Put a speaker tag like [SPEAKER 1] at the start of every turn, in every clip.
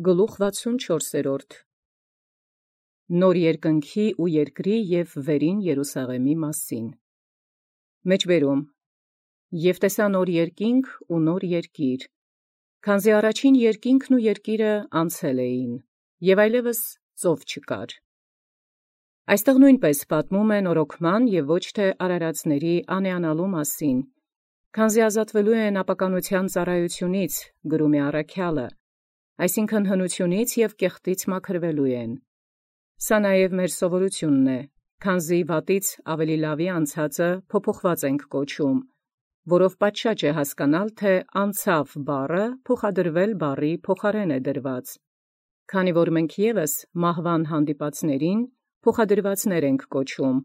[SPEAKER 1] Գլուխ 64 Նոր երկնքի ու երկրի և վերին Երուսաղեմի մասին։ Մեջբերում Եվ տեսա նոր երկինք ու նոր երկիր, քանզի առաջին երկինքն ու երկիրը անցել էին, և այլևս ծով չկար։ Այստեղ նույնպես պատմում է նորոգման և ոչ թե արարածների անեանալու մասին, քանզի ազատվելու են ապականության ծառայությունից, գրում է առաքյալը, այսինքն հնությունից և կեղտից մաքրվելու են։ Սա նաև մեր սովորությունն է, քանզի վատից ավելի լավի անցածը փոփոխված ենք կոչում, որով պատշաճ է հասկանալ, թե անցավ բառը փոխադրվել բառի փոխարեն է դրված, քանի որ մենք ևս մահվան հանդիպածներին փոխադրվածներ ենք կոչում,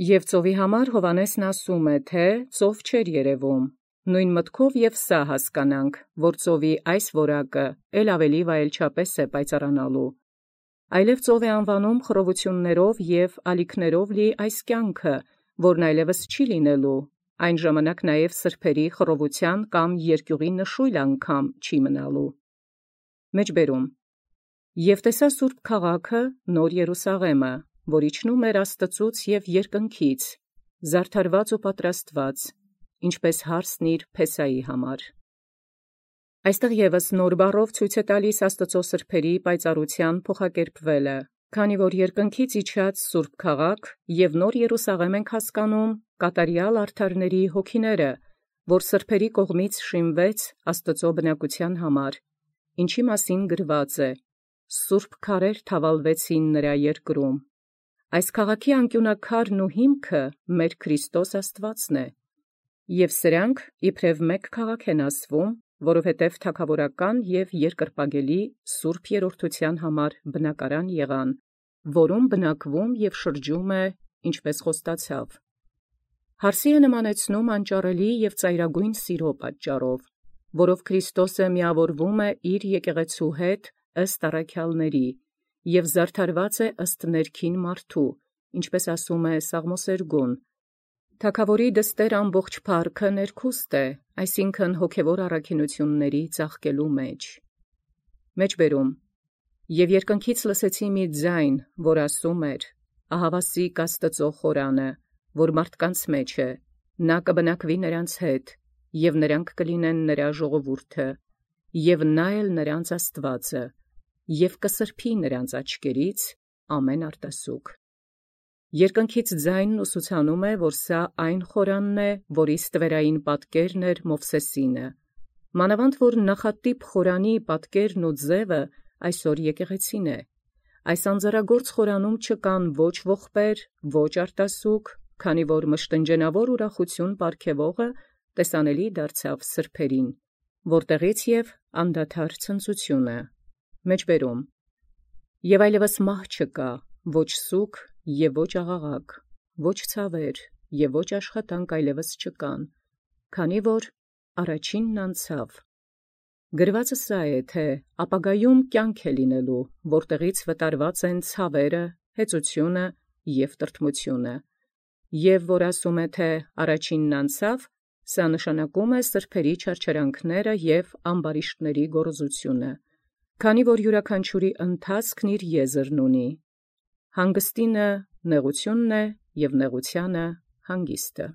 [SPEAKER 1] և ծովի համար Հովհաննեսն ասում է, թե ծով չէր երևում, նույն մտքով և սա հասկանանք, որ ծովի այս որակը էլ ավելի վայելչապես է պայծառանալու, այլև ծով է անվանում խռովություններով և ալիքներով լի այս կյանքը, որն այլևս չի լինելու, այն ժամանակ նաև սրբերի խռովության կամ երկյուղի նշույլ անգամ չի մնալու։ Մեջբերում Եվ տեսա սուրբ քաղաքը, նոր Երուսաղեմը, որ իջնում էր Աստծուց և երկնքից, զարդարված ու պատրաստված, ինչպես հարսն իր փեսայի համար։ Այստեղ ևս նոր բառով ցույց է տալիս Աստծո սրբերի պայծառության փոխակերպվելը, քանի որ երկնքից իջած սուրբ քաղաք և նոր Երուսաղեմ ենք հասկանում կատարյալ արդարների հոգիները, որ սրբերի կողմից շինվեց Աստծո բնակության համար, ինչի մասին գրված է. «Սուրբ քարեր թավալվեցին նրա երկրում»։ Այս քաղաքի անկյունաքարն ու հիմքը մեր Քրիստոս Աստուածն է, և սրանք իբրև մեկ քաղաք են ասվում, որովհետև թագավորական և երկրպագելի սուրբ երրորդության համար բնակարան եղան, որում բնակվում և շրջում է, ինչպես խոստացավ։ Հարսի է նմանեցնում անճարելի և ծայրագույն սիրո պատճառով, որով Քրիստոսը միավորվում է իր եկեղեցու հետ ըստ առաքյալների և զարդարված է ըստ ներքին մարդու, ինչպես ասում է Սաղմոսերգուն. թագավորի դստեր ամբողջ փառքը ներքուստ է, այսինքն հոգևոր առաքինությունների ծաղկելու մեջ։ Մեջբերում Եվ երկնքից լսեցի մի ձայն, որ ասում էր. ահավասիկ Աստծո խորանը, որ մարդկանց մեջ է, նա կբնակվի նրանց հետ, և նրանք կլինեն նրա ժողովուրդը, և նա էլ նրանց Աստվածը, և կսրբի նրանց աչքերից ամեն արտասուք։ Երկնքից ձայնն ուսուցանում է, որ սա այն խորանն է, որի ստվերային պատկերն էր Մովսեսինը, մանավանդ որ նախատիպ խորանի պատկերն ու ձևը այսօր եկեղեցին է։ Այս անձեռագործ խորանում չկան ոչ ողբեր, ոչ արտասուք, քանի որ մշտնջենավոր ուրախություն պարգևողը տեսանելի դարձավ սրբերին, որտեղից և անդադար ցնծությունը։ Մեջբերում Եվ այլևս մահ չկա, ոչ սուգ և ոչ աղաղակ, ոչ ցավեր և ոչ աշխատանք այլևս չկան, քանի որ առաջինն անցավ։ Գրվածը սա է, թե ապագայում կյանք է լինելու, որտեղից վտարված են ցավերը, հեծությունը և տրտմությունը, և որ ասում է, թե առաջինն անցավ, սա նշանակում է սրբերի չարչարանքները և ամբարիշտների գոռոզությունը, քանի որ յուրաքանչյուրի ընթացքն իր եզրն ունի. հանգստինը նեղությունն է և նեղությանը հանգիստը։